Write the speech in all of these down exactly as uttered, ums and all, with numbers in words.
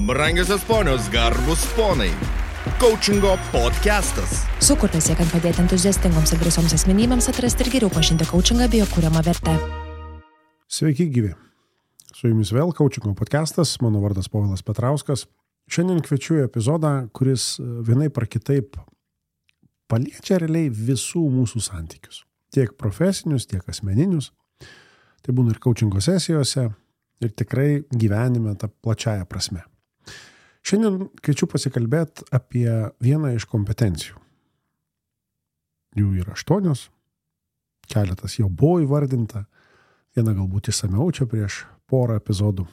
Brangiosios ponios, garbus ponai. Coachingo podcastas. Sukurtas siekiant padėti entuziastingoms ir drąsioms asmenybėms atrasti ir geriau pažinti coachingą bei jo kuriamą vertę. Sveiki gyvi. Su jumis vėl Coachingo podcastas, mano vardas Povilas Petrauskas. Šiandien kviečiu į epizodą, kuris vienaip ar kitaip paliečia realiai visų mūsų santykius. Tiek profesinius, tiek asmeninius. Tai būna ir coachingo sesijose ir tikrai gyvenime tą plačiają prasme. Šiandien kviečiu pasikalbėti apie vieną iš kompetencijų. Jų yra aštuonios, keletas jau buvo įvardinta, viena galbūt išsamiau čia prieš porą epizodų.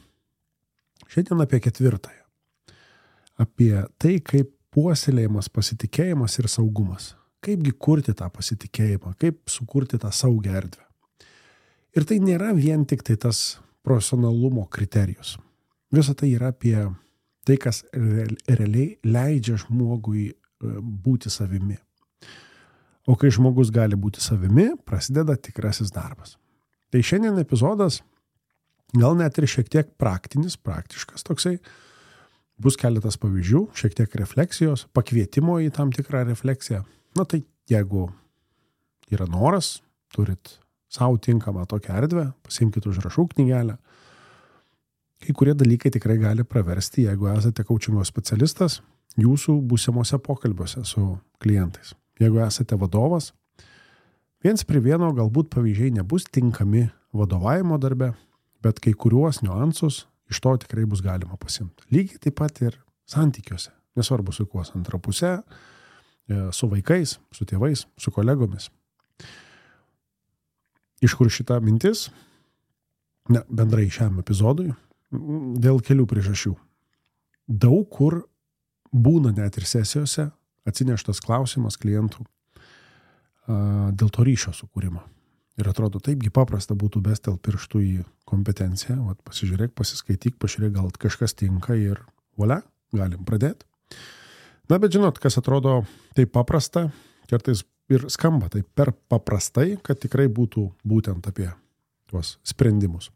Šiandien apie ketvirtąją. Apie tai, kaip puoselėjimas pasitikėjimas ir saugumas. Kaipgi kurti tą pasitikėjimą, kaip sukurti tą saugią erdvę. Ir tai nėra vien tik tai tas profesionalumo kriterijus. Visa tai yra apie tai, kas realiai leidžia žmogui būti savimi. O kai žmogus gali būti savimi, prasideda tikrasis darbas. Tai šiandien epizodas gal net ir šiek tiek praktinis, praktiškas toksai. Bus keletas pavyzdžių, šiek tiek refleksijos, pakvietimo į tam tikrą refleksiją. Na tai jeigu yra noras, turit savo tinkamą tokią erdvę, pasiimkite užrašų knygelę. Kai kurie dalykai tikrai gali praversti, jeigu esate coachingo specialistas, jūsų būsimuose pokalbiuose su klientais. Jeigu esate vadovas, viens prie vieno galbūt pavyzdžiai nebus tinkami vadovavimo darbe, bet kai kuriuos niuansus iš to tikrai bus galima pasimti. Lygiai taip pat ir santykiuose. Nesvarbu su kuo, antra pusė, su vaikais, su tėvais, su kolegomis. Iš kur šita mintis? Ne, bendrai šiam epizodui. Dėl kelių priežasčių. Daug kur būna net ir sesijose atsineštas klausimas klientų a, dėl to ryšio sukūrimo. Ir atrodo, taipgi paprasta būtų bestel pirštų į kompetenciją. Vat pasižiūrėk, pasiskaityk, pažiūrėk, gal kažkas tinka ir volia, galim pradėti. Na, bet žinot, kas atrodo taip paprasta, kartais ir skamba taip per paprastai, kad tikrai būtų būtent apie tuos sprendimus.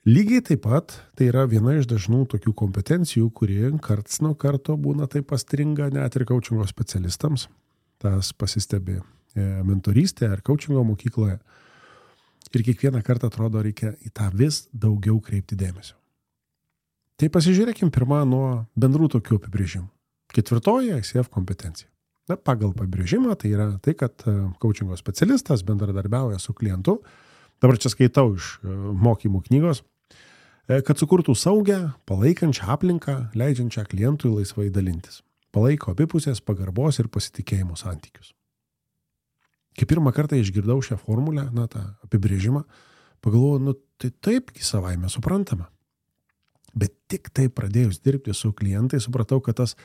Lygiai taip pat tai yra viena iš dažnų tokių kompetencijų, kurie karts nuo karto būna taip pastringa net ir coachingo specialistams. Tas pasistebi mentorystėje ar coachingo mokykloje. Ir kiekvieną kartą atrodo reikia į tą vis daugiau kreipti dėmesio. Tai pasižiūrėkim pirmą nuo bendrų tokių apibrėžimų. Ketvirtoji I C F kompetencija. Na, pagal apibrėžimą tai yra tai, kad coachingo specialistas bendradarbiauja su klientu. Dabar čia skaitau iš mokymų knygos, kad sukurtų saugią, palaikančią aplinką, leidžiančią klientui laisvai dalintis. Palaiko abipusės pagarbos ir pasitikėjimo santykius. Kai pirmą kartą išgirdau šią formulę, na, tą apibrėžimą, pagalvojau, nu, tai taipgi savaime suprantama. Bet tik tai pradėjus dirbti su klientai, supratau, kad tas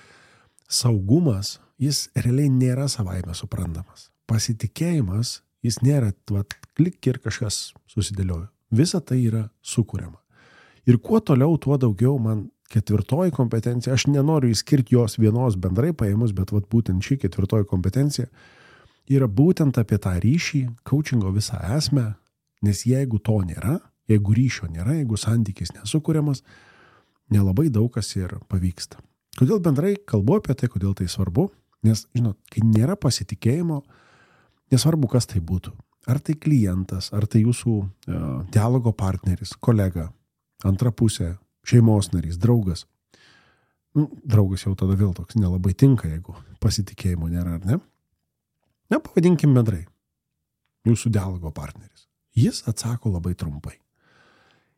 saugumas, jis realiai nėra savaime suprantamas. Pasitikėjimas, jis nėra, vat, klik ir kažkas susidėliojo. Visa tai yra sukuriama. Ir kuo toliau, tuo daugiau man ketvirtoji kompetencija, aš nenoriu įskirti jos vienos bendrai paėmus, bet vat būtent ši ketvirtoji kompetencija yra būtent apie tą ryšį, coachingo visą esmę, nes jeigu to nėra, jeigu ryšio nėra, jeigu santykis nesukuriamas, nelabai daug kas ir pavyksta. Kodėl bendrai kalbu apie tai, kodėl tai svarbu? Nes, žinot, kai nėra pasitikėjimo, nesvarbu, kas tai būtų. Ar tai klientas, ar tai jūsų uh, dialogo partneris, kolega, antra pusė, šeimos narys, draugas. Nu, draugas jau tada vėl toks nelabai tinka, jeigu pasitikėjimo nėra, ar ne? Na, pavadinkim bendrai. Jūsų dialogo partneris. Jis atsako labai trumpai.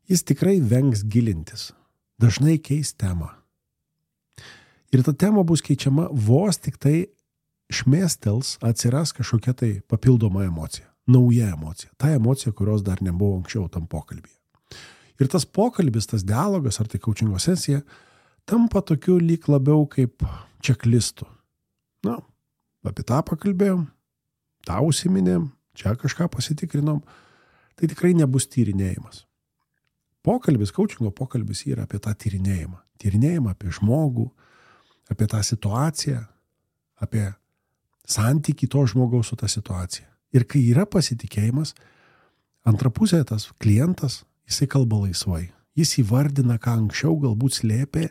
Jis tikrai vengs gilintis. Dažnai keis temą. Ir ta tema bus keičiama vos tik tai šmėstels atsiras kažkokia tai papildoma emocija. Nauja emocija. Ta emocija, kurios dar nebuvo anksčiau tam pokalbyje. Ir tas pokalbis, tas dialogas, ar tai coachingo sesija, tampa tokiu lyg labiau kaip čeklistu. Na, apie tą pakalbėjom, tą užsiminėm, čia kažką pasitikrinom. Tai tikrai nebus tyrinėjimas. Pokalbis, coachingo pokalbis yra apie tą tyrinėjimą. Tyrinėjimą apie žmogų, apie tą situaciją, apie santykį to žmogaus su tą situacija. Ir kai yra pasitikėjimas, antra pusė tas klientas, jisai kalba laisvai. Jis įvardina, ką anksčiau galbūt slėpė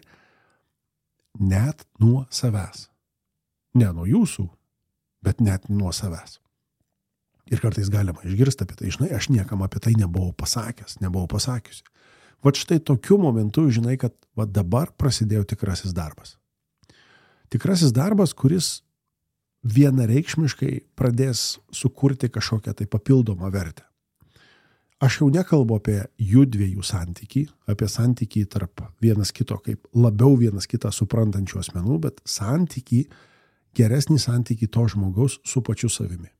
net nuo savęs. Ne nuo jūsų, bet net nuo savęs. Ir kartais galima išgirsti apie tai, žinai, aš niekam apie tai nebuvau pasakęs, nebuvau pasakiusi. Vat štai tokiu momentu, žinai, kad vat dabar prasidėjo tikrasis darbas. Tikrasis darbas, kuris vienareikšmiškai pradės sukurti kažkokią tai papildomą vertę. Aš jau nekalbu apie jų dviejų santykį, apie santykį tarp vienas kito kaip labiau vienas kitą suprantančių asmenų, bet santykį, geresnį santykį to žmogaus su pačiu savimi.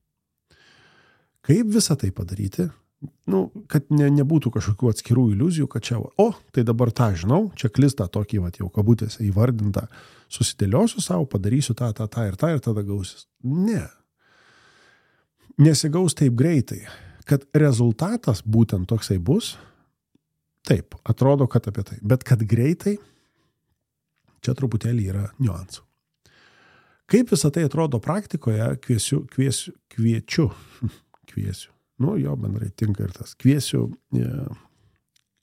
Kaip visą tai padaryti? Nu, kad ne, nebūtų kažkokių atskirų iliuzijų, kad čia, o, tai dabar tą žinau, čia klistą tokį, vat, jau kabutėse įvardintą, susidėliosiu savo, padarysiu tą, tą, tą ir tą ir tada gausis. Ne. Nesigaus taip greitai, kad rezultatas būtent toksai bus, taip, atrodo, kad apie tai, bet kad greitai, čia truputėlį yra niuansų. Kaip visą tai atrodo praktikoje, kviesiu, kviesiu, kviečiu, kviesiu. Nu, jo bendrai tinka ir tas. Kviesiu e,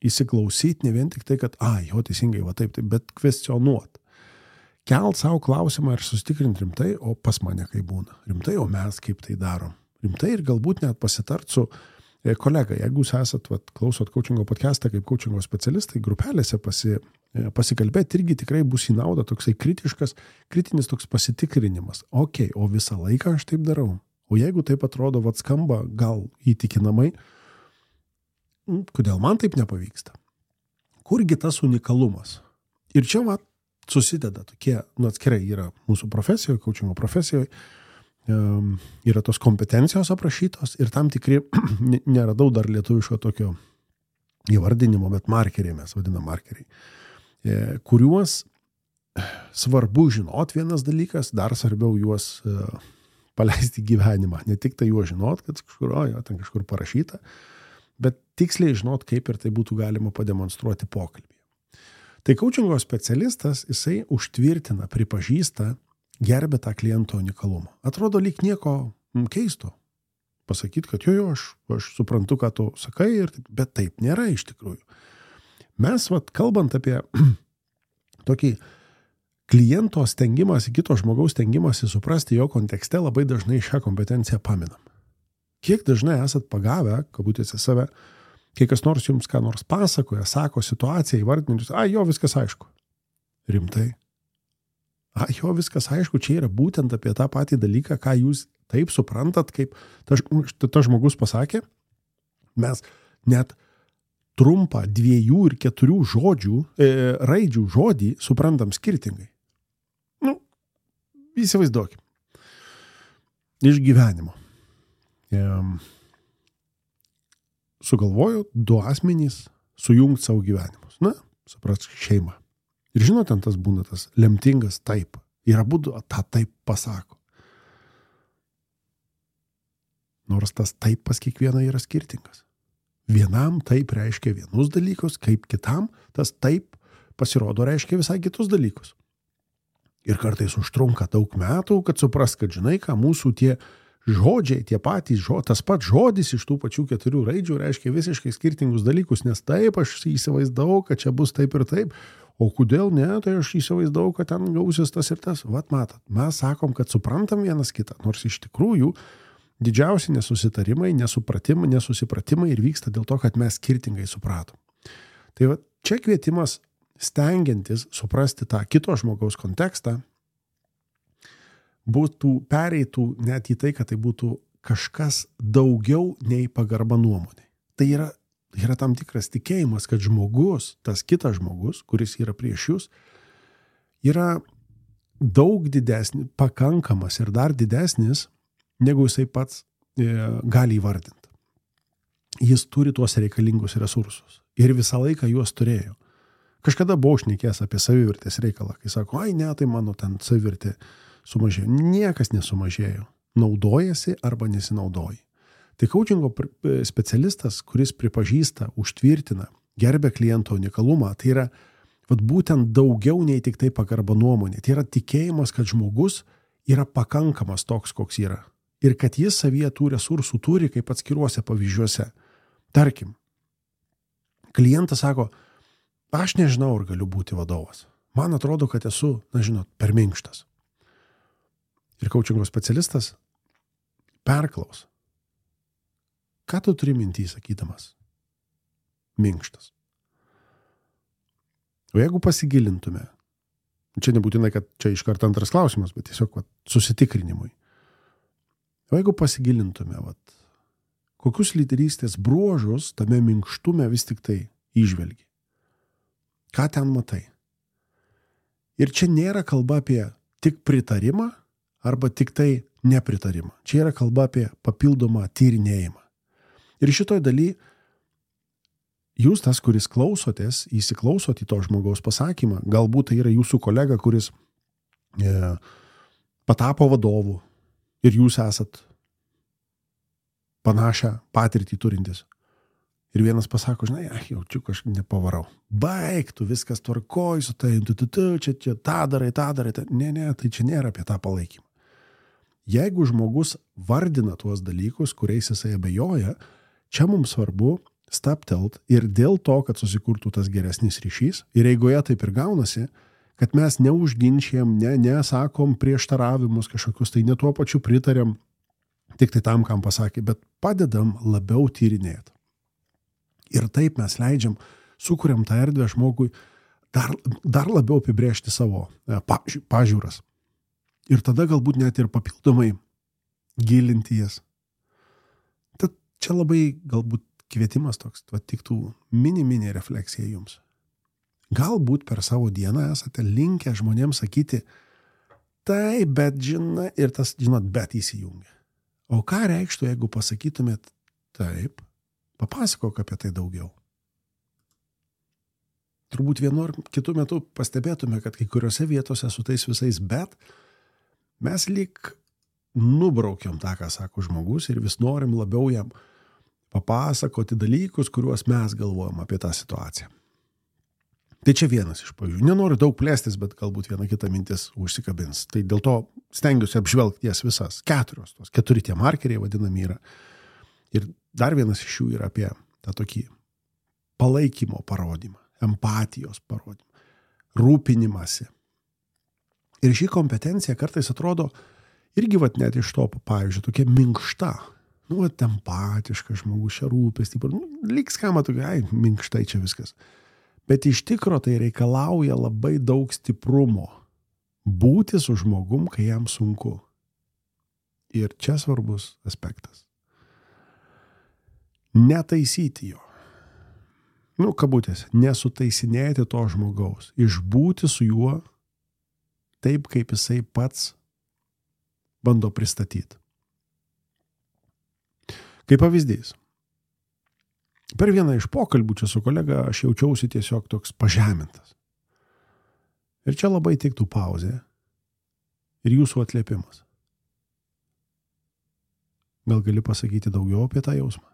įsiklausyti ne vien tik tai, kad, a, jo teisingai, va taip, taip, bet kvestionuot. Kelt savo klausimą ir susitikrinti rimtai, o pas mane kaip būna. Rimtai, o mes kaip tai darom. Rimtai ir galbūt net pasitart su e, kolega. Jeigu jūs esat, vat, klausot coachingo podcastą kaip coachingo specialistai, grupelėse pasi, e, pasikalbėti irgi tikrai bus į naudą toksai kritiškas, kritinis toks pasitikrinimas. Ok, o visą laiką aš taip darau. O jeigu taip atrodo, vat skamba gal įtikinamai, kodėl man taip nepavyksta? Kurgi tas unikalumas? Ir čia vat susideda tokie, nu atskirai yra mūsų profesijoje, coachingo profesijoje, um, yra tos kompetencijos aprašytos ir tam tikri, neradau dar lietuviško tokio įvardinimo, bet markeriai mes vadinam markeriai, e, kuriuos svarbu žinot vienas dalykas, dar svarbiau juos e, paleisti gyvenimą. Ne tik tai juo žinot, kad kažkur, o, jo, ten kažkur parašyta, bet tiksliai žinot, kaip ir tai būtų galima pademonstruoti pokalbėje. Tai coachingo specialistas, jisai užtvirtina, pripažįsta, gerbė tą kliento unikalumą. Atrodo lyg nieko keisto. Pasakyti, kad jo, jo, aš, aš suprantu, ką tu sakai, ir, bet taip nėra iš tikrųjų. Mes, vat, kalbant apie tokį kliento stengimąsi, kito žmogaus stengimąsi suprasti jo kontekste, labai dažnai šią kompetenciją paminam. Kiek dažnai esat pagavę, kabutėse save, kai kas nors jums ką nors pasakoja, sako situaciją, įvardinus, a, jo, viskas aišku. Rimtai. A, jo, viskas aišku, čia yra būtent apie tą patį dalyką, ką jūs taip suprantat, kaip tas ta žmogus pasakė. Mes net trumpą dviejų ir keturių žodžių, e, raidžių žodį suprantam skirtingai. Nu, įsivaizduokim. Iš gyvenimo. E, sugalvojo du asmenys sujungti savo gyvenimus. Na, supras, šeima. Ir žinot, ten tas būna tas lemtingas taip. Ir abudu tą taip pasako. Nors tas taip pas kiekvieną yra skirtingas. Vienam taip reiškia vienus dalykus, kaip kitam tas taip pasirodo reiškia visai kitus dalykus. Ir kartais užtrunka daug metų, kad supras, kad žinai, ką mūsų tie žodžiai, tie patys, žo, tas pats žodis iš tų pačių keturių raidžių reiškia visiškai skirtingus dalykus, nes taip aš įsivaizdavau, kad čia bus taip ir taip, o kodėl ne, tai aš įsivaizdavau, kad ten gausis tas ir tas. Vat matot, mes sakom, kad suprantam vienas kitą, nors iš tikrųjų didžiausi nesusitarimai, nesupratimai, nesusipratimai ir vyksta dėl to, kad mes skirtingai supratom. Tai va, čia kvietimas stengiantis suprasti tą kito žmogaus kontekstą, būtų pereitų net į tai, kad tai būtų kažkas daugiau nei pagarba nuomonė. Tai yra, yra tam tikras tikėjimas, kad žmogus, tas kitas žmogus, kuris yra prieš jūs, yra daug didesnis, pakankamas ir dar didesnis, negu jisai pats e, gali įvardinti. Jis turi tuos reikalingus resursus ir visą laiką juos turėjo. Kažkada buvau šnekėjęs apie savivertės reikalą, kai sako, ai ne, tai mano ten savivertė sumažėjo. Niekas nesumažėjo. Naudojasi arba nesinaudoji. Tai coachingo specialistas, kuris pripažįsta, užtvirtina, gerbia kliento unikalumą, tai yra vat, būtent daugiau nei tik tai pagarba nuomonė. Tai yra tikėjimas, kad žmogus yra pakankamas toks, koks yra. Ir kad jis savyje tų resursų turi kaip atskiruose pavyzdžiuose. Tarkim, klientas sako, Aš nežinau, ar galiu būti vadovas. Man atrodo, kad esu, na žinot, per minkštas. Ir coachingo specialistas perklaus. Ką tu turi mintį sakydamas? Minkštas. O jeigu pasigilintume, čia nebūtinai, kad čia iš karto antras klausimas, bet tiesiog vat, susitikrinimui. O jeigu pasigilintume, vat, kokius lyderystės bruožus tame minkštume vis tik tai įžvelgi? Ką ten matai? Ir čia nėra kalba apie tik pritarimą arba tik tai nepritarimą. Čia yra kalba apie papildomą tyrinėjimą. Ir šitoj daly jūs tas, kuris klausotės, įsiklausot į to žmogaus pasakymą, galbūt tai yra jūsų kolega, kuris e, patapo vadovu ir jūs esat panašią patirtį turintis. Ir vienas pasako, žinai, ach, jaučiu, kažkaip nepavarau. Baik, tu viskas tvarkoj, su tai, tu, tu, tu, čia, čia, tą darai, tą darai. Ta. Ne, ne, tai čia nėra apie tą palaikymą. Jeigu žmogus vardina tuos dalykus, kuriais jisai abejoja, čia mums svarbu staptelt ir dėl to, kad susikurtų tas geresnis ryšys. Ir eigoje taip ir gaunasi, kad mes neužginčiam, ne, nesakom prieštaravimus kažkokius, tai ne tuo pačiu pritarėm, tik tai tam, kam pasakė, bet padedam labiau tyrinėti. Ir taip mes leidžiam, sukuriam tą erdvę žmogui dar, dar labiau apibrėžti savo paži, pažiūras. Ir tada galbūt net ir papildomai gilinti jas. Tad čia labai galbūt kvietimas toks, va, tiktų mini-mini refleksija jums. Galbūt per savo dieną esate linkę žmonėms sakyti, tai, bet žinai, ir tas, žinot, bet įsijungia. O ką reikštų, jeigu pasakytumėt taip, papasakok apie tai daugiau. Turbūt vienu ar kitu metu pastebėtume, kad kai kuriuose vietose su tais visais bet mes lyg nubraukiam tą, ką sako žmogus ir vis norim labiau jam papasakoti dalykus, kuriuos mes galvojam apie tą situaciją. Tai čia vienas iš pavyzdžių. Nenoriu daug plėstis, bet galbūt viena kita mintis užsikabins. Tai dėl to stengiuosi apžvelgti jas visas. Keturios, tos keturi tie markeriai vadinami yra. Ir dar vienas iš jų yra apie tą tokį palaikymo parodymą, empatijos parodymą, rūpinimąsi. Ir ši kompetencija kartais atrodo irgi vat net iš to, pavyzdžiui, tokia minkšta. Nu, vat empatiškas žmogus, čia rūpestį. Nu, lyg skamba tokia, ai, minkštai čia viskas. Bet iš tikro tai reikalauja labai daug stiprumo. Būti su žmogum, kai jam sunku. Ir čia svarbus aspektas. Netaisyti jo. Nu, kabutės, nesutaisinėti to žmogaus. Išbūti su juo taip, kaip jisai pats bando pristatyti. Kaip pavyzdys. Per vieną iš pokalbių čia su kolega aš jaučiausi tiesiog toks pažemintas. Ir čia labai tiktų pauzė ir jūsų atliepimas. Gal gali pasakyti daugiau apie tą jausmą?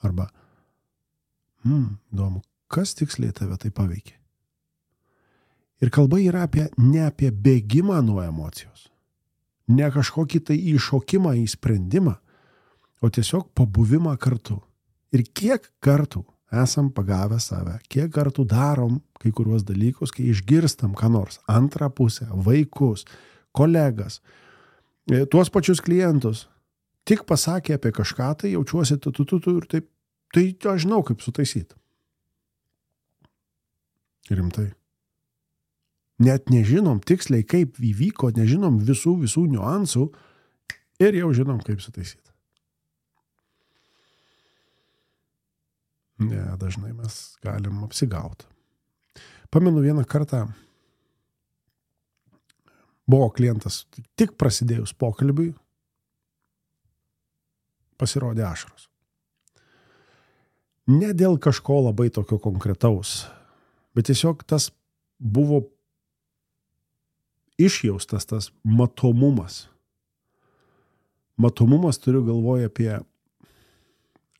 Arba, hmm, įdomu, kas tiksliai tave tai paveikė? Ir kalba yra apie, ne apie bėgimą nuo emocijos, ne kažkokį tai įšokimą į sprendimą, o tiesiog pabuvimą kartu. Ir kiek kartų esam pagavę save, kiek kartų darom kai kuriuos dalykus, kai išgirstam ką nors, antrą pusę, vaikus, kolegas, tuos pačius klientus, tik pasakė apie kažką, tai jaučiuosi tu, tu, tu, tu ir taip, tai aš žinau, kaip sutaisyti. Rimtai. Net nežinom tiksliai, kaip įvyko, nežinom visų, visų niuansų ir jau žinom, kaip sutaisyti. Ne, dažnai mes galim apsigauti. Pamenu vieną kartą buvo klientas, tik prasidėjus pokalbiui, pasirodė ašaros. Ne dėl kažko labai tokio konkretaus, bet tiesiog tas buvo išjaustas, tas matomumas. Matomumas turiu galvoje apie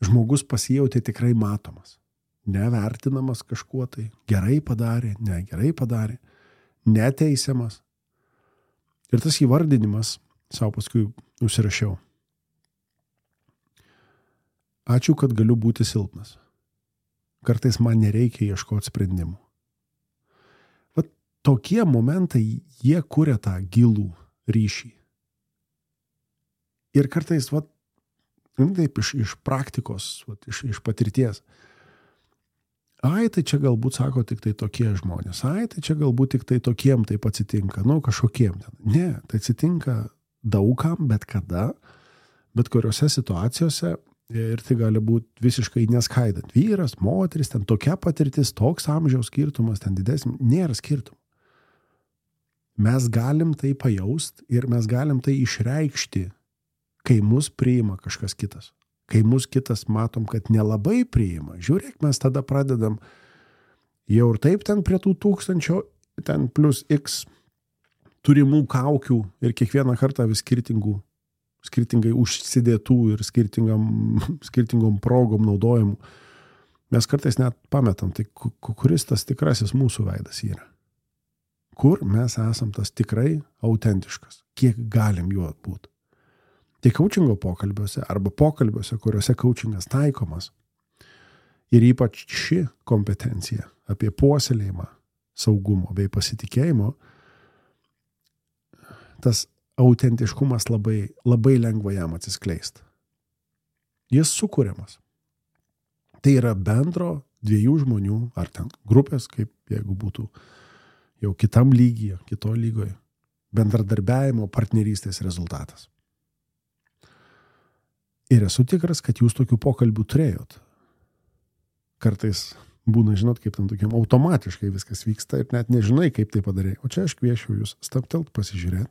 žmogus pasijautė tikrai matomas, nevertinamas kažkuo tai, gerai padarė, ne gerai padarė, neteisiamas. Ir tas įvardinimas, savo paskui užsirašiau. Ačiū, kad galiu būti silpnas. kartais man nereikia ieškoti sprendimų. Vat tokie momentai, jie kuria tą gilų ryšį. Ir kartais, vat, taip, iš, iš praktikos, vat, iš, iš patirties. Ai, tai čia galbūt sako tik tai tokie žmonės. Ai, tai čia galbūt tik tai tokiem taip atsitinka. Nu, kažkokiem ten. Ne, tai atsitinka daugam, bet kada, bet kuriuose situacijose ir tai gali būti visiškai neskaidant. Vyras, moteris, ten tokia patirtis, toks amžiaus skirtumas, ten didesnis, nėra skirtumų. Mes galim tai pajaust ir mes galim tai išreikšti, kai mus priima kažkas kitas. Kai mus kitas matom, kad nelabai priima, žiūrėk, mes tada pradedam jau ir taip ten prie tų tūkstančio, ten plus X turimų kaukių ir kiekvieną kartą vis skirtingų, skirtingai užsidėtų ir skirtingam, skirtingom progom naudojimų. Mes kartais net pametam, tai kuris tas tikrasis mūsų veidas yra. Kur mes esam tas tikrai autentiškas, kiek galim juo būti. Tai coachingo pokalbiuose arba pokalbiuose, kuriuose coachingas taikomas ir ypač ši kompetencija apie puoselėjimą saugumo bei pasitikėjimo, tas autentiškumas labai, labai lengva jam atsiskleist. Jis sukuriamas. Tai yra bendro dviejų žmonių ar ten grupės, kaip jeigu būtų jau kitam lygyje, kito lygoje, bendradarbiavimo partnerystės rezultatas. Ir esu tikras, kad jūs tokių pokalbių turėjot. Kartais būna, žinot, kaip ten tokiam automatiškai viskas vyksta ir net nežinai, kaip tai padarė. O čia aš kviečiu jūs stabtelt, pasižiūrėti.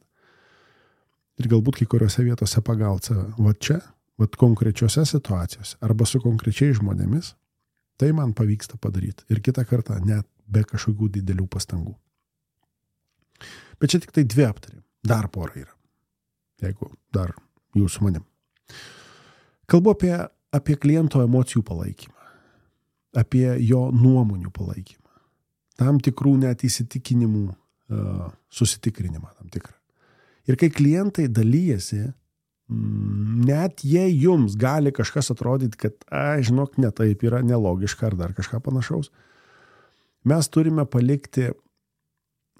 Ir galbūt kai kuriuose vietose pagauti save. Va čia, va konkrečiose situacijose arba su konkrečiais žmonėmis, tai man pavyksta padaryti. Ir kitą kartą net be kažkokių didelių pastangų. Bet čia tik tai dvi aptarėm. Dar pora yra. Jeigu dar jūs su manim. Kalbu apie, apie kliento emocijų palaikymą, apie jo nuomonių palaikymą, tam tikrų net įsitikinimų uh, susitikrinimą tam tikrą. Ir kai klientai dalyjasi, net jei jums gali kažkas atrodyti, kad, ai, žinok, ne taip yra, nelogiška ar dar kažką panašaus, mes turime palikti,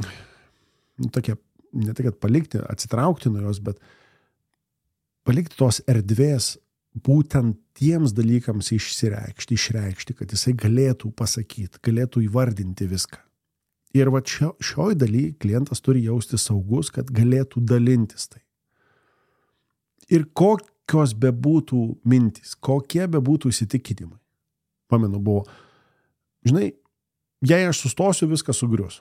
nu, tokia, ne tai, kad palikti, atsitraukti nuo jos, bet palikti tos erdvės būtent tiems dalykams išsireikšti, išreikšti, kad jisai galėtų pasakyti, galėtų įvardinti viską. Ir va šio, šioj daly klientas turi jausti saugus, kad galėtų dalintis tai. Ir kokios bebūtų mintys, kokie bebūtų įsitikinimai. Pamenu, buvo, žinai, jei aš sustosiu, viskas sugrius.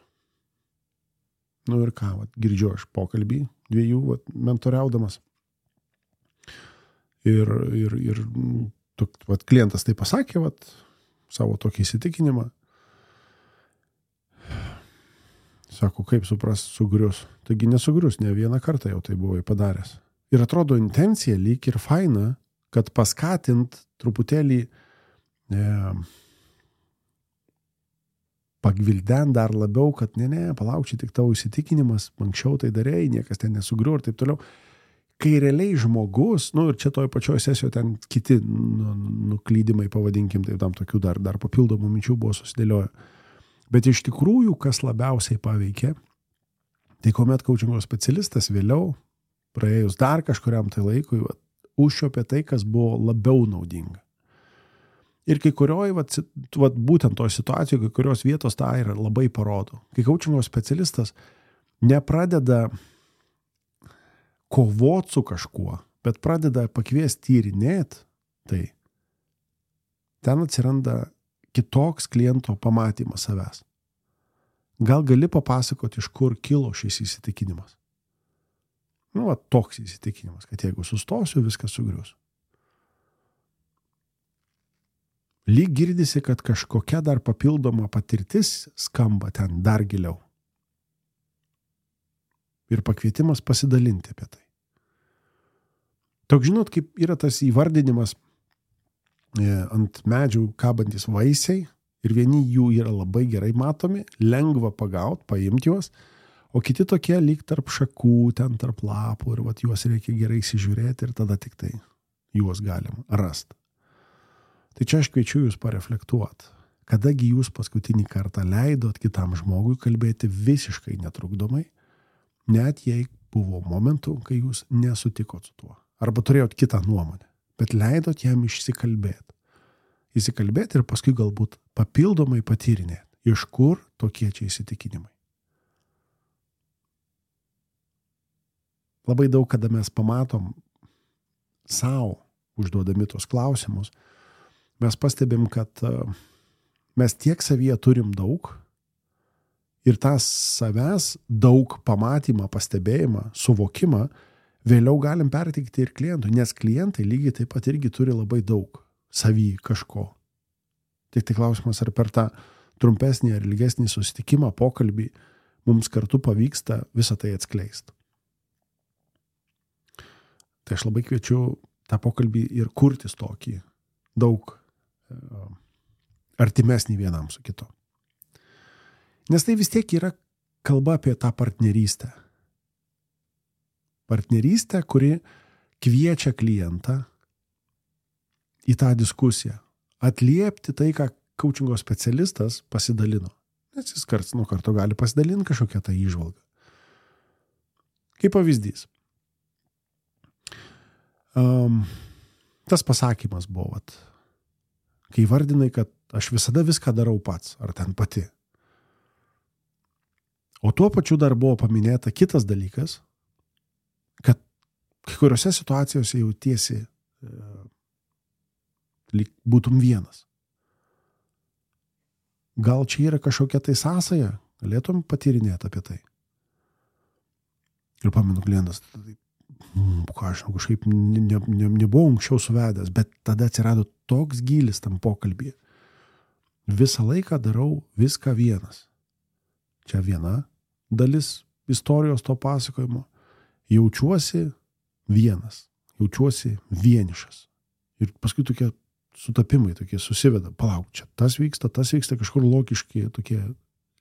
Nu ir ką, vat, girdžiu aš pokalbį dviejų vat, mentoriaudamas. Ir, ir, ir vat, klientas tai pasakė, vat, savo tokį įsitikinimą. Sako, kaip supras, sugrius. Taigi nesugrius, ne vieną kartą jau tai buvai padaręs. Ir atrodo intencija lyg ir faina, kad paskatint truputėlį e, pagvildent dar labiau, kad ne, ne, palauk, čia tik tavo įsitikinimas, anksčiau tai darėjai, niekas ten nesugriu ir taip toliau. Kai realiai žmogus, nu ir čia toj pačioj sesijoje ten kiti nu, nuklydimai, pavadinkim, tai tam tokių dar, dar papildomų minčių buvo susidėlioję. Bet iš tikrųjų, kas labiausiai paveikė, tai kuomet coachingo specialistas vėliau, praėjus dar kažkuriam tai laikui, va, užčiuopė tai, kas buvo labiau naudinga. Ir kai kurioj, va, va, būtent toj situacijoje, kai kurios vietos tą ir labai parodo. Kai coachingo specialistas nepradeda kovot su kažkuo, bet pradeda pakviesti tyrinėti, tai ten atsiranda kitoks kliento pamatymas savęs. Gal gali papasakoti, iš kur kilo šis įsitikinimas? Nu, va, toks įsitikinimas, kad jeigu sustosiu, viskas sugrius. Lyg girdisi, kad kažkokia dar papildoma patirtis skamba ten dar giliau. Ir pakvietimas pasidalinti apie tai. Toks, žinot, kaip yra tas įvardinimas e, ant medžių kabantis vaisiai ir vieni jų yra labai gerai matomi, lengva pagauti, paimti juos, o kiti tokie lyg tarp šakų, ten tarp lapų ir vat, juos reikia gerai įsižiūrėti ir tada tik tai juos galim rasti. Tai čia aš kviečiu jūs pareflektuoti, Kadagi jūs paskutinį kartą leidot kitam žmogui kalbėti visiškai netrukdomai, net jei buvo momentų, kai jūs nesutikot su tuo. Arba turėjot kitą nuomonę, bet leidot jam išsikalbėti. Įsikalbėti ir paskui galbūt papildomai patyrinėti, iš kur tokie čia įsitikinimai. Labai daug, kada mes pamatom savo užduodami tos klausimus, mes pastebim, kad mes tiek savyje turim daug ir tą savęs daug pamatymą, pastebėjimą, suvokimą vėliau galim perteikti ir klientui, nes klientai lygiai taip pat irgi turi labai daug savy kažko. Tik tai klausimas, ar per tą trumpesnį ar ilgesnį susitikimą, pokalbį mums kartu pavyksta visą tai atskleisti. Tai aš labai kviečiu tą pokalbį ir kurtis tokį daug artimesnį vienam su kitu. Nes tai vis tiek yra kalba apie tą partnerystę. Partnerystę, kuri kviečia klientą į tą diskusiją, atliepti tai, ką coachingo specialistas pasidalino. Nes jis karts nuo karto gali pasidalinti kažkokią tą įžvalgą. Kaip pavyzdys. Um, tas pasakymas buvo, vat, kai vardinai, kad aš visada viską darau pats, ar ten pati. O tuo pačiu dar buvo paminėta kitas dalykas, kad kai kuriuose situacijose jautiesi e, lyg būtum vienas. Gal čia yra kažkokia tai sąsaja, galėtum patyrinėti apie tai. Ir pamenu klientas, mm, ką aš kažkaip ne, ne, ne, nebuvau anksčiau suvedęs, bet tada atsirado toks gylis tam pokalbyje. Visą laiką darau viską vienas. Čia viena dalis istorijos to pasakojimo. Jaučiuosi vienas, jaučiuosi vienišas. Ir paskui tokie sutapimai tokie susiveda. Palauk, čia tas vyksta, tas vyksta, kažkur logiški tokie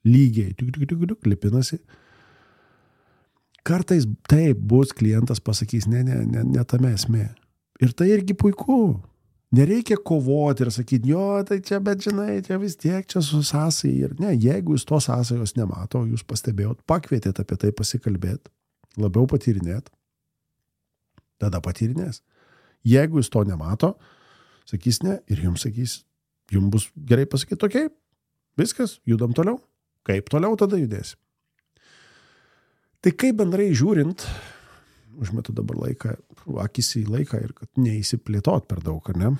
lygiai, tik, tik, tik, tik, lipinasi. Kartais taip bus, klientas pasakys, ne, ne, ne, ne tame esmė. Ir tai irgi puiku. Nereikia kovoti ir sakyti, jo, tai čia, bet žinai, čia vis tiek čia su sąsai. Ir ne, jeigu jūs tos sąsajos nemato, jūs pastebėjot, pakvietėt apie tai pasikalbėti, labiau patyrinėt, tada patyrinės. Jeigu jūs to nemato, sakys ne ir jums sakys, jums bus gerai pasakyti, okei, viskas, judam toliau. Kaip toliau tada judėsim? Tai kaip bendrai žiūrint, užmetu dabar laiką, akis į laiką ir kad neįsiplėtot per daug, ar ne?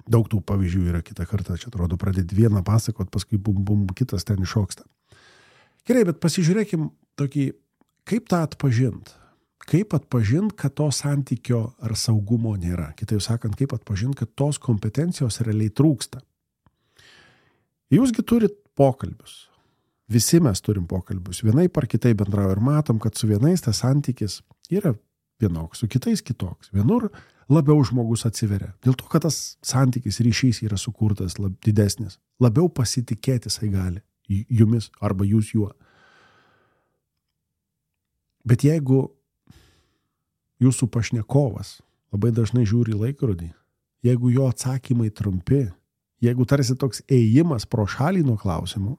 Daug tų pavyzdžių yra kitą kartą, čia atrodo pradėti vieną pasakot, paskui bum, bum, kitas ten iššoksta. Gerai, bet pasižiūrėkim tokį, kaip tą atpažint? Kaip atpažint, kad to santykio ar saugumo nėra? Kitaip sakant, kaip atpažint, kad tos kompetencijos realiai trūksta? Jūsgi turit pokalbius. Visi mes turim pokalbius. Vienai par kitai bendrauja ir matom, kad su vienais tas santykis yra vienoks, su kitais kitoks. Vienur labiau žmogus atsiveria. Dėl to, kad tas santykis, ryšys yra sukurtas lab, didesnis. Labiau pasitikėti jisai gali jumis arba jūs juo. Bet jeigu jūsų pašnekovas labai dažnai žiūri į laikrodį, jeigu jo atsakymai trumpi, jeigu tarsi toks ėjimas pro šalį nuo klausimų,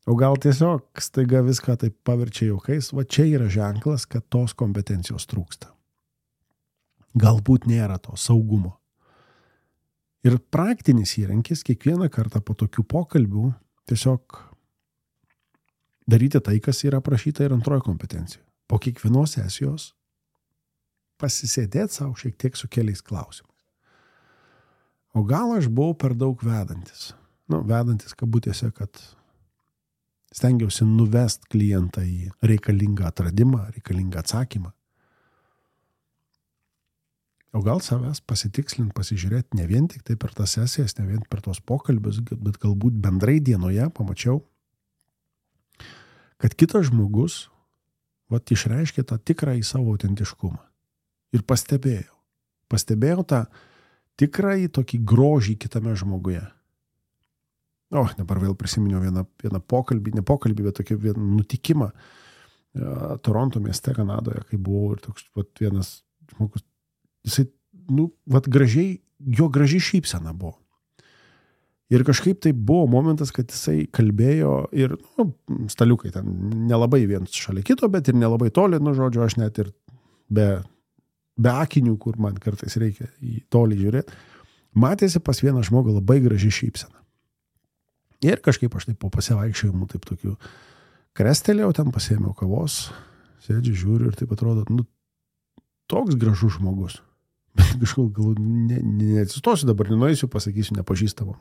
o gal tiesiog staiga viską taip paverčia juokais, va čia yra ženklas, kad tos kompetencijos trūksta. Galbūt nėra to saugumo. Ir praktinis įrankis kiekvieną kartą po tokių pokalbių tiesiog daryti tai, kas yra aprašyta ir antroje kompetencijoje. Po kiekvienos sesijos pasisėdėti savo šiek tiek su keliais klausimais. O gal aš buvau per daug vedantis? Nu, vedantis kabutėse, kad stengiausi nuvest klientą į reikalingą atradimą, reikalingą atsakymą. O gal savęs pasitikslint, pasižiūrėti ne vien tik tai per tas sesijas, ne vien per tos pokalbius, bet galbūt bendrai dienoje pamačiau, kad kitas žmogus vat, išreiškė tą tikrą į savo autentiškumą. Ir pastebėjau. Pastebėjau tą tikrą į tokį grožį kitame žmoguje. O, dabar vėl prisiminiau vieną, vieną pokalbį, ne pokalbį, bet tokį vieną nutikimą uh, Toronto mieste, Kanadoje, kai buvau ir toks vat, vienas žmogus, jisai, nu, vat gražiai, jo gražiai šypsena buvo. Ir kažkaip tai buvo momentas, kad jisai kalbėjo ir, nu, staliukai ten nelabai vienas šalia kito, bet ir nelabai toli, nu, žodžiu, aš net ir be, be akinių, kur man kartais reikia į tolį žiūrėti, matėsi pas vieną žmogų labai graži šypsena. Ir kažkaip aš taip po pasivaikščiojimų taip tokių krestelėjau, ten pasiėmiau kavos, sėdžiu, žiūriu ir taip atrodo, nu, toks gražus žmogus. Bet kažkol gal ne, neatsistosiu dabar, nenueisiu, pasakysiu nepažįstamam.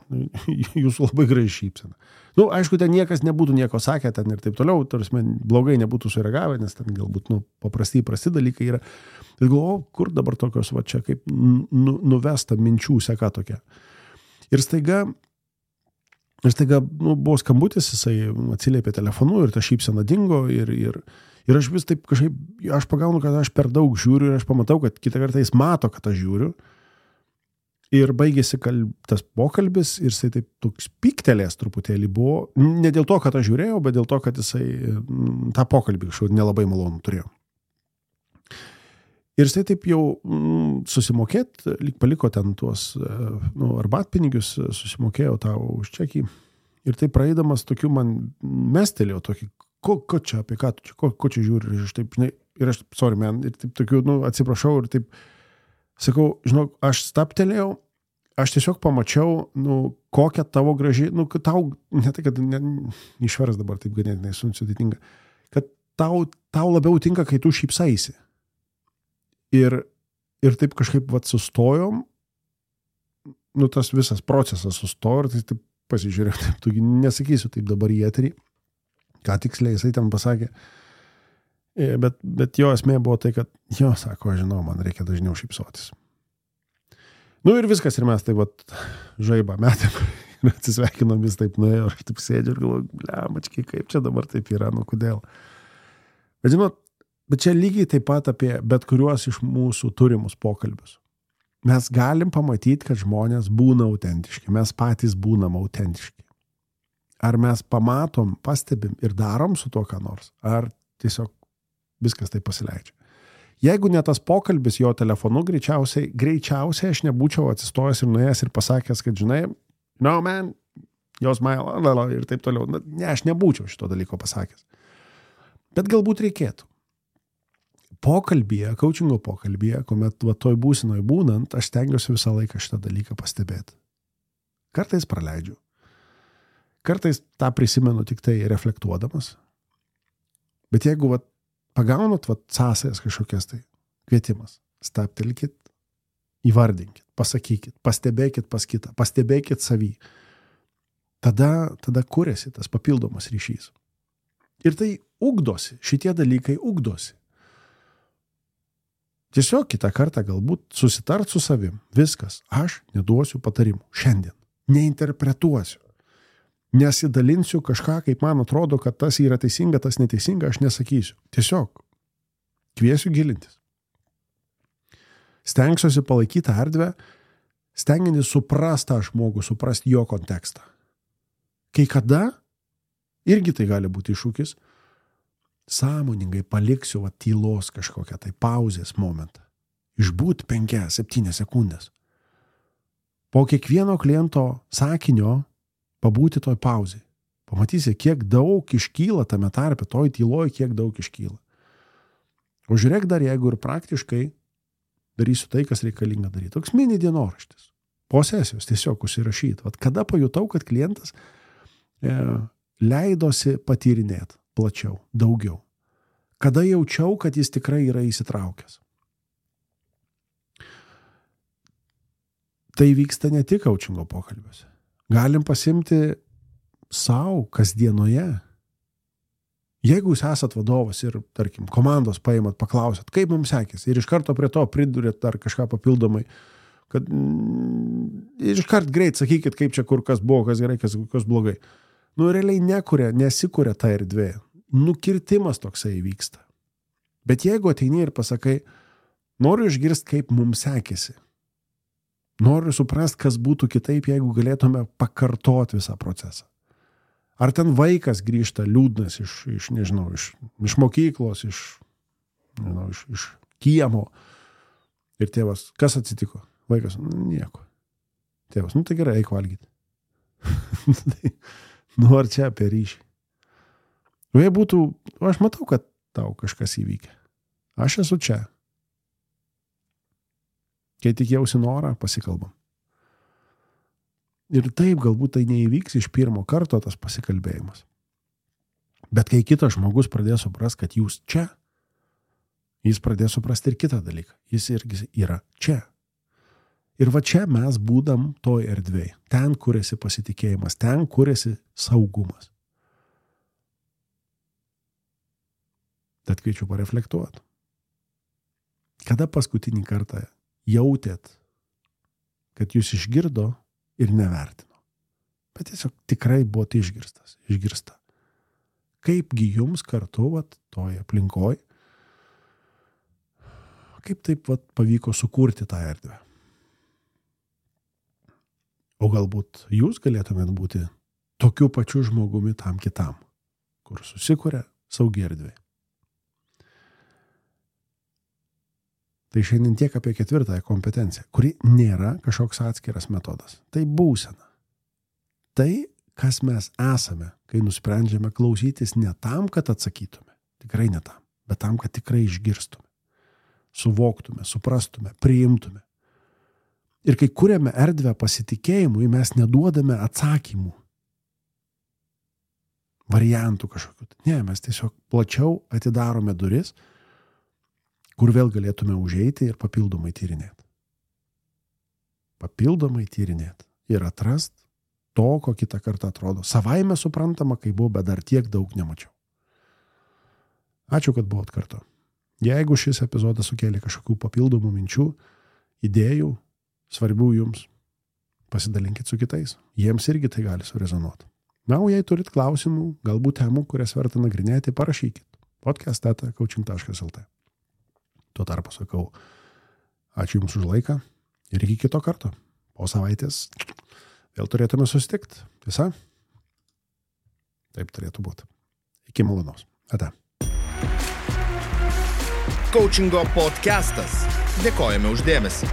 Jūsų labai graži šypsena. Nu, aišku, ten niekas nebūtų nieko sakę ten ir taip toliau, tarsi blogai nebūtų sureagavę, nes ten galbūt, nu, paprastai prasti dalykai yra. Ir galvoju, kur dabar tokios, va čia kaip nu, nuvesta minčių seka tokia. Ir staiga, ir staiga, nu, buvo skambutis, jisai atsiliepė telefonu ir ta šypsena dingo ir, ir Ir aš vis taip kažkaip, aš pagaunu, kad aš per daug žiūriu ir aš pamatau, kad kitą kartą jis mato, kad aš žiūriu. Ir baigėsi kalb, tas pokalbis ir jisai taip toks pyktelės truputėlį buvo. Ne dėl to, kad aš žiūrėjau, bet dėl to, kad jisai tą pokalbį kažkaip nelabai malonų turėjo. Ir jisai taip jau mm, susimokėt, lyg paliko ten tuos nu, arbatpinigius, susimokėjo tau už čekį. Ir taip praeidamas tokiu man mestelėjo tokį, Ko, ko čia, apie ką tu čia, ko, ko čia žiūri, ir aš taip, žinai, ir aš, sorry man, ir taip tokiu, nu, atsiprašau, ir taip, sakau, žinok, aš staptelėjau, aš tiesiog pamačiau, nu, kokią tavo graži, nu, kad tau, ne tai, kad ne, išvers dabar taip ganėtinai sudėtinga, kad tau, tau labiau tinka, kai tu šypsaisi. Ir, ir taip kažkaip, vat, sustojom, nu, tas visas procesas sustojo, ir tai taip pasižiūrėjau, taip, tu nesakysiu taip dabar į eterį, ką tiksliai jisai ten pasakė. Bet, bet jo esmė buvo tai, kad jo, sako, aš žinau, man reikia dažniau šypsotis. Nu ir viskas, ir mes taip vat žaibą metėm ir atsisveikinom, vis taip nuėjo, aš taip sėdžiu ir galvoju, blemački, kaip čia dabar taip yra, nu kodėl. Bet žinot, bet čia lygiai taip pat apie bet kuriuos iš mūsų turimus pokalbius. Mes galim pamatyti, kad žmonės būna autentiški, mes patys būnam autentiški. Ar mes pamatom, pastebim ir darom su to ką nors, ar tiesiog viskas taip pasileidžia. Jeigu ne tas pokalbis jo telefonu, greičiausiai, greičiausiai aš nebūčiau atsistojęs ir nuėjęs ir pasakęs, kad žinai, no man, jos smile, ir taip toliau. Ne, aš nebūčiau šito dalyko pasakęs. Bet galbūt reikėtų. Pokalbyje, coachingo pokalbyje, kuomet va toj būsinoj būnant, aš stengiuosi visą laiką šitą dalyką pastebėti. Kartais praleidžiu. Kartais tą prisimenu tik tai reflektuodamas. Bet jeigu vat, pagaunat vat, sąsajas kažkokias tai kvietimas, staptelkit, įvardinkit, pasakykit, pastebėkit pas kitą, pastebėkit savį. Tada, tada kuriasi tas papildomas ryšys. Ir tai ugdosi, šitie dalykai ugdosi. Tiesiog kitą kartą galbūt susitart su savim. Viskas, aš neduosiu patarimų. Šiandien. Neinterpretuosiu. Nesidalinsiu kažką, kaip man atrodo, kad tas yra teisinga, tas neteisinga, aš nesakysiu. Tiesiog kviesiu gilintis. Stengsiuosi palaikyti erdvę, stengiantis suprast tą žmogų, suprast jo kontekstą. Kai kada, irgi tai gali būti iššūkis, sąmoningai paliksiu va, tylos kažkokią tai pauzės momentą. Išbūt penkias, septynias sekundės. Po kiekvieno kliento sakinio pabūti toj pauzai. Pamatysi, kiek daug iškyla tame tarpe, toj tyloj, kiek daug iškyla. O žiūrėk dar, jeigu ir praktiškai darysiu tai, kas reikalinga daryti. Toks mini dienoraštis. Po sesijos tiesiog užsirašyti. Vat kada pajutau, kad klientas e, leidosi patyrinėti plačiau, daugiau. Kada jaučiau, kad jis tikrai yra įsitraukęs. Tai vyksta ne tik coachingo pokalbiuose. Galim pasimti savo kasdienoje. Jeigu jūs esat vadovas ir, tarkim, komandos paimat, paklausat, kaip mums sekėsi, ir iš karto prie to pridurėt dar kažką papildomai, kad mm, iš kart greit sakykit, kaip čia kur kas buvo, kas gerai, kas, kas blogai. Nu, realiai nekuria, nesikuria ta erdvė. Nukirtimas toksai vyksta. Bet jeigu ateini ir pasakai, noriu išgirsti, kaip mums sekėsi. Noriu suprast, kas būtų kitaip, jeigu galėtume pakartoti visą procesą. Ar ten vaikas grįžta liūdnas iš, iš nežinau, iš, iš mokyklos, iš, nežinau, iš, iš kiemo. Ir tėvas, kas atsitiko? Vaikas, nu, nieko. Tėvas, nu tai gerai, eik valgyti. Nu, ar čia apie ryšį? Nu, jei būtų, aš matau, kad tau kažkas įvykė. Aš esu čia. Kai tik jausi norą, pasikalbam. Ir taip, galbūt tai neįvyks iš pirmo karto tas pasikalbėjimas. Bet kai kitas žmogus pradės supras, kad jūs čia, jis pradės suprasti ir kitą dalyką. Jis irgi yra čia. Ir va čia mes būdam toj erdvėj. Ten kuriasi pasitikėjimas, ten kuriasi saugumas. Tad kviečiu pareflektuoti. Kada paskutinį kartą jautėt, kad jūs išgirdo ir nevertino? Bet tiesiog tikrai buvot išgirstas, išgirsta. Kaipgi jums kartu, vat, toj aplinkoj, kaip taip vat, pavyko sukurti tą erdvę? O galbūt jūs galėtumėt būti tokiu pačiu žmogumi tam kitam, kur susikuria saugi erdvė. Tai šiandien tiek apie ketvirtąją kompetenciją, kuri nėra kažkoks atskiras metodas. Tai būsena. Tai, kas mes esame, kai nusprendžiame klausytis ne tam, kad atsakytume, tikrai ne tam, bet tam, kad tikrai išgirstume, suvoktume, suprastume, priimtume. Ir kai kuriame erdvę pasitikėjimui, mes neduodame atsakymų, variantų kažkokių. Ne, mes tiesiog plačiau atidarome duris, kur vėl galėtume užeiti ir papildomai tyrinėti. Papildomai tyrinėti ir atrast to, ko kitą kartą atrodo. Savaime suprantama, kai buvo, bet dar tiek daug nemačiau. Ačiū, kad buvot kartu. Jeigu šis epizodas sukėlė kažkokių papildomų minčių, idėjų, svarbių jums, pasidalinkit su kitais. Jiems irgi tai gali surezonuoti. Na, o jei turit klausimų, galbūt temų, kurias verta nagrinėti, parašykit. podcast eta coaching taškas lt. Tuo tarpu sakau, ačiū Jums už laiką ir iki kito karto. Po savaitės vėl turėtume susitikti. Tiesa? Taip turėtų būti. Iki malonaus. Ate. Coachingo podcastas. Dėkojame už dėmesį.